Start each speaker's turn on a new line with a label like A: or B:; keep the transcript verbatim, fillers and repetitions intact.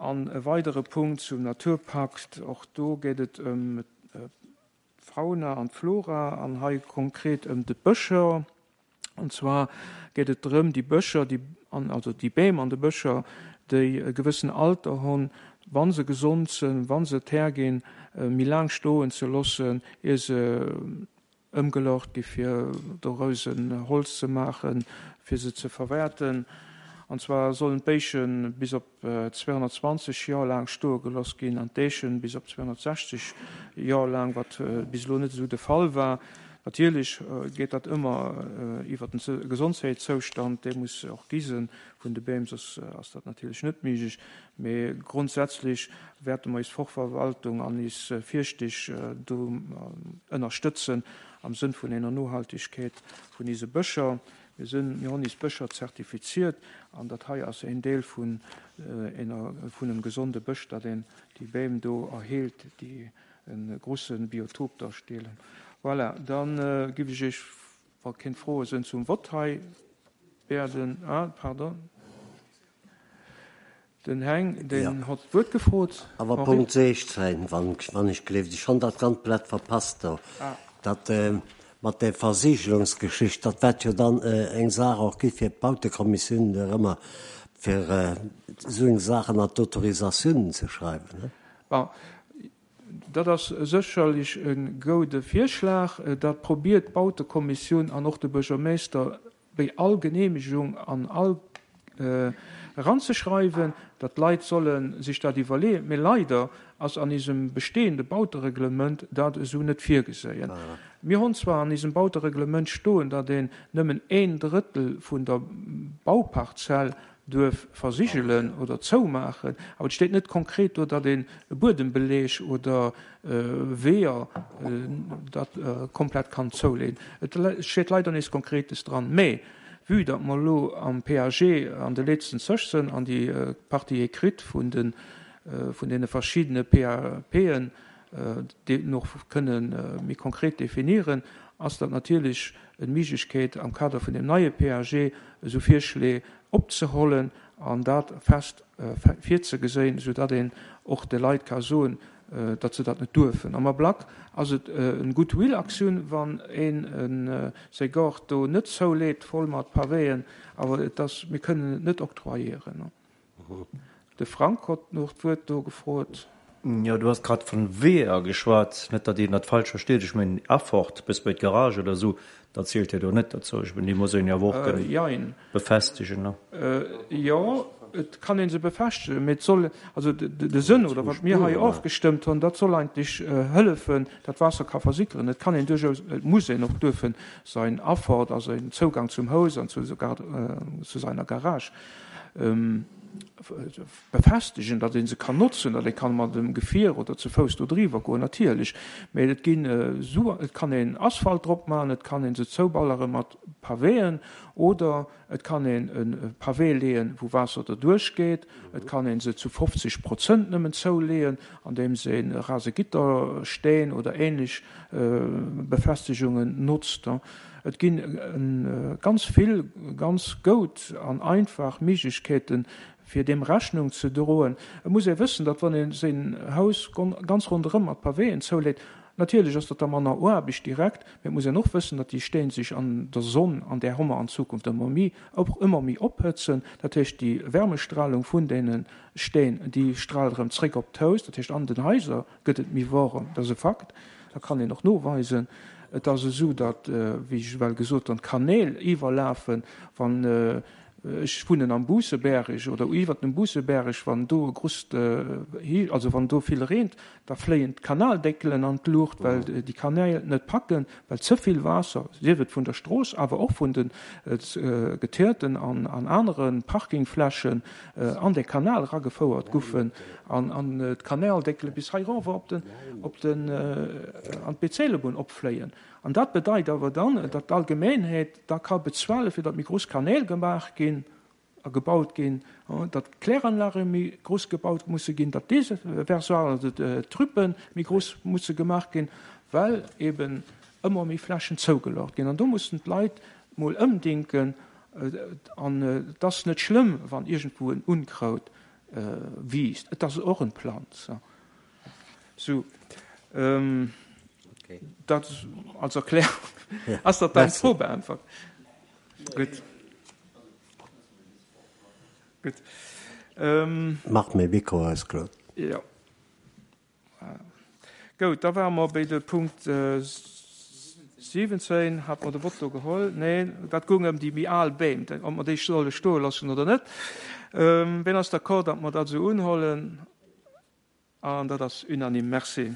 A: An e weidere Punkt zum Naturpakt, och do geet et ëm d'Fauna an d'Flora an hei konkret ëm de Bëscher. An zwar geet et drëm, déi Bëscher, déi, an, also déi Beem an de Bëscher, déi e gewëssen Alter hunn, wa se gesond sinn, wa se et herginn, méi laang stoen ze loossen, ier se ëmgelaucht gi fir doraus en Holz ze maachen, fir se ze verwäerten. An zwar sollen d'Béische bis op zweehonnertzwanzeg Joer laang stoe gelooss ginn an d'Eechen bis op zweehonnertsechzeg Joer laang, wat bis elo net esou de Fall war. Natierlech geet dat ëmmer iwwer den Gesondheitszoustand, dee muss och gi sinn vun de Beem, soss ass dat natierlech net méiglech. Mee grondsätzlech wäerte mer eis Forstverwaltung an eis Fierschteg do ënnerstëtzen am Sënn vun enger Nohaltegkeet vun eise Bëscher. Mir sinn, mir hunn eis Bëscher zertifiziert an dat hei ass een Deel vun enger, vun engem gesonde Bësch, datt een déi Beem do erheelt, déi e grouse Biotop darstellen. Voilà, dann äh, giff ech iech, wa keng Froe sinn, zum Vott hei werden. Ah, pardon. Den Heng, den
B: Ja.
A: hat d'Wuert gefrot.
B: Awer
A: Henri?
B: Punkt sechzehn, wann, wann ech gleeft, ech hunn dat komplett verpasst do.
A: Ah.
B: Dat äh, mat der Versigelungsgeschicht, dat wäert jo dann äh, eng Saach och gi fir d'Bautekommissioun ëmmer fir äh, sou eng Saachen an d'Autorisatiounen ze schreiwen. Ne?
A: Bon, dat ass sécherlech e goude Virschlag. Dat probiert d'Bautekommissioun an och de Buergermeeschter bei all Geneemegung an all äh, ranzeschreiwen, datt d'Leit solle sech dat iwwerleeën. Mee leider ass an eisem bestehende Bautereglement dat esou net virgesinn.
B: Ah.
A: Mir hunn zwar an eisem Bautereglement stoen, datt een nëmmen een Drëttel vun der Bauparzell duerf versigelen oder zoumaachen, awer et steet net konkret do, datt een e Buedembeleeg oder äh, Weeër äh, dat äh, komplett kann zouleeën. Et steet leider nichts Konkretes dran. Mee vue datt mer lo am P A G an de letzten Zëch sinn an déi äh, Partie écrite vun den äh, vun deene verschiddene P A P'en äh, déi nach kënnen äh, méi konkret definieren, ass dat natierlech eng Méiglechkeet am Kader vun dem neie P A G esou Virschléi opzehuelen an dat fest äh, virzegesinn, soudatt een och de Leit ka soen, äh, datt se dat net duerfen. Am Ablack ass et äh, eng Goodwill-Aktioun, wann een en äh, säi Gaart do net zouleet, voll mat Pavéen, awer et ass, mir kënnen et net octroyéieren. Ne? De Frank huet nach d'Wuert do gefrot.
C: Jo, du hues grad vun Weeër geschwat, net datt een dat falsch versteet. Ech mengen Affort bis bei d'Garage oder sou, dat zielt jo do net dozou. Ech mengen, déi muss een jo och
A: Äh,
C: kënnen
A: jein.
C: befestegen. Ne?
A: Äh, jo, et kann een se befestegen, mee et soll, also de, de, de Sënn oder wat mir hei ofgestëmmt hunn, dat soll eigentlech äh, hëllefen, datt Waasser ka versickeren. Et kann een duerchaus, et muss een och duerfen säin Affort, also en Zougang zum Haus an zu, sogar, äh, zu seiner Garage ähm, befestegen, datt een se kann notzen, datt ee kann mat dem Gefier oder zu Fouss do driwwer goen, natierlech. Mee et ginn äh, so, et kann een Asphalt drop maachen, et kann een se zouballere mat Pavéen oder et kann een en Pavé leeën, wou Waasser do duerchgeet. Et kann een se zu fofzeg Prozent nëmmen zouleeën, andeems een Rasegittersteen oder ähnlech äh, Befestigungen notzt. Et ginn äh, ganz vill ganz gutt an einfach Méiglechkeeten, fir deem Rechnung ze droen. Et muss ee wëssen, datt wann een säin Haus ganz ronderëm mat Pavéen zouleet, natierlech ass dat da manner Aarbecht direkt, mee et muss een och wëssen, datt déi Steen sech an der Sonn, an där hu mer an Zukunft ëmmer méi, och ëmmer méi ophëtzen. Dat heescht, déi Wärmestrahlung vun deene Steen, déi straalt erëm zréck op d'Haus, dat heescht an den Haiser gëtt et méi waarem, dat ass e Fakt, dat kann een och noweisen. Et ass esou, datt, wéi ech well gesot hunn, d'Kanäl iwwerlafen, wann äh, ech wunnen am Buusseberg oder iwwer dem Buusseberg, wann do grousst, äh, also wann do vill reent, da fléien d'Kanaldeckelen an d'Luucht, well déi Kanäl net packen, well ze vill Waasser, sief et vun der Strooss, awer och vun den äh, Geteerten an, an anere Parkingflächen äh, an de Kanal ragefouert goufen an, an äh, d'Kanaldeckele bis hei rower op den, op den, äh, an d'Bezelebunn opfléien. An dat bedeit awer dann, datt d'Allgemengheet da ka bezuele fir datt méi grouss Kanäl gemaach ginn a gebaut ginn, datt d'Kläranlage méi grouss gebaut musse ginn, datt Déversoiren, also d'Trüppe méi grouss musse gemaach ginn, well eben ëmmer méi Flächen zougeloocht ginn. An do mussen d'Leit mol ëmdenken, an et ass net schlëmm, wann iergendwou en Unkraut wiisst. Et ass och en Planz. Sou, dat als Erklärung. Ass dat deng Fro beäntwert? Gutt. Gutt.
B: Mach méi Mikro aus, Claude.
A: Jo. Gout, da ware mer béi de Punkt siwwenzéin. Hat mer de Vott do geholl? Nee, dat goung ëm déi méi al Beem, ob mer déi solle stoe loossen oder net. Wien ass d'accord, datt mer dat esou unhollen? An dat ass unanime. Merci.